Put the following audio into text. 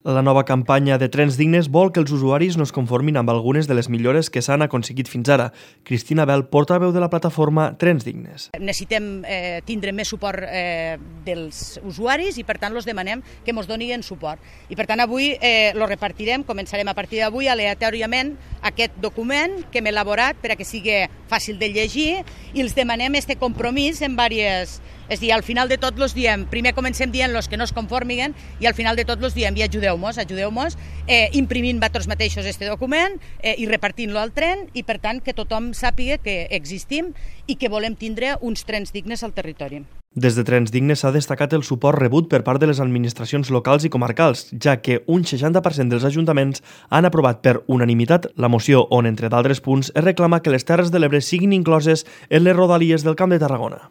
La nova campanya de Trens Dignes vol que els usuaris no es conformin amb algunes de les millores que s'han aconseguit fins ara. Cristina Bel, portaveu de la plataforma Trens Dignes. Necessitem tindre més suport dels usuaris i per tant els demanem que ens donin suport. I per tant avui lo repartirem, començarem a partir d'avui aleatòriament aquest document que hem elaborat per a que sigui fàcil de llegir i els demanem este compromís en diverses. És a dir, al final de tot els diem, primer comencem dient-los que no es conformiguen i al final de tot els diem i ajudeu-nos, imprimint vosaltres mateixos este document i repartint-lo al tren i per tant que tothom sàpiga que existim i que volem tindre uns trens dignes al territori. Des de Trens Dignes s'ha destacat el suport rebut per part de les administracions locals i comarcals, ja que un 60% dels ajuntaments han aprovat per unanimitat la moció on, entre d'altres punts, es reclama que les Terres de l'Ebre siguin incloses en les rodalies del Camp de Tarragona.